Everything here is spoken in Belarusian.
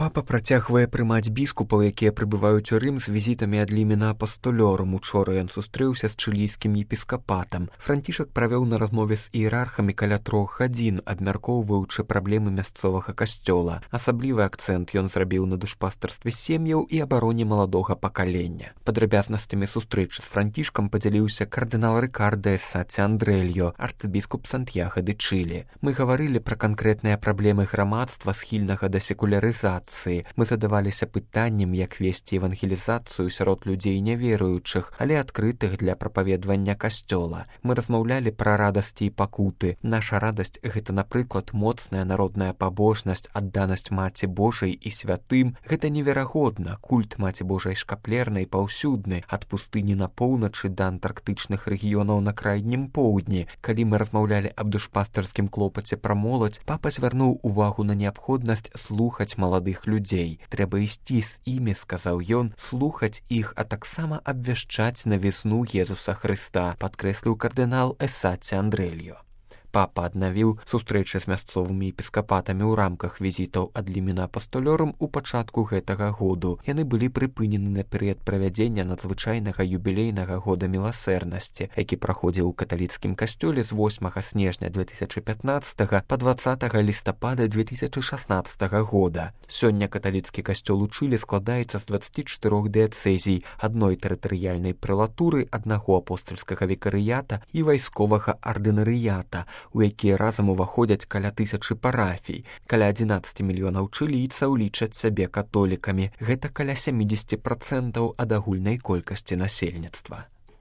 Папа працягвае прымаць біскупаў, якія прыбываюць у Рым з візітамі ад Лімена Апастолёрум. Учора ён сустрэўся з чылійскім епіскапатам. Францішак правёў на размове з іерархамі каля 3 гадзін, абмяркоўваючы праблемы мясцовага касцёла. Асаблівы акцэнт ён зрабіў на душпастарстве сем'яў і абароне маладога пакалення. Падрабязнасцямі сустрэчы з Францішкам падзяліўся кардынал Рикардо Эссаці Андрельо, арцыбіскуп Сантьяго де Чилі. Мы гаварылі пра канкрэтныя праблемы грамадства, схільнага да секулярызацыі. Мы задаваліся пытаннем, як весці евангелізацыю сярод людзей няверуючых, але адкрытых для прапаведвання касцёла. Мы размаўлялі пра радасці і пакуты. Наша радасць — гэта, напрыклад, моцная народная пабожнасць, адданасць Маці Божай і святым. Гэта неверагодна. Культ Маці Божай шкаплернай паўсюдны, ад пустыні на поўначы да антарктычных рэгіёнаў на крайнім поўдні. Калі мы размаўлялі аб душпастарскім клопаце пра моладзь, папа звярнуў увагу на неабходнасць слухаць маладых людзей. Трэба ісці з імі, сказаў ён, слухаць іх, а таксама абвяшчаць навізну Езуса Хрыста, падкрэсліў кардынал Эссаці Андрельо. Папа аднавіў сустрэчы з мясцовымі епіскапатамі ў рамках візітаў ад Лімена Апастолёрум у пачатку гэтага году. Яны былі прыпынены на перыяд правядзення надзвычайнага юбілейнага года міласэрнасці, які праходзіў у каталіцкім касцёле з 8 снежня 2015 па 20 лістапада 2016 года. Сёння каталіцкі касцёл у Чылі складаецца з 24 дыяцэзій, адной тэрытарыяльнай прэлатуры, аднаго апостальскага викарыята і вайсковага ардынарыята, у якія разам уваходзяць каля 1000 парафій. Каля 11 мільёнаў чылійцаў лічаць сябе католікамі. Гэта каля 70% ад агульнай колькасці насельніцтва.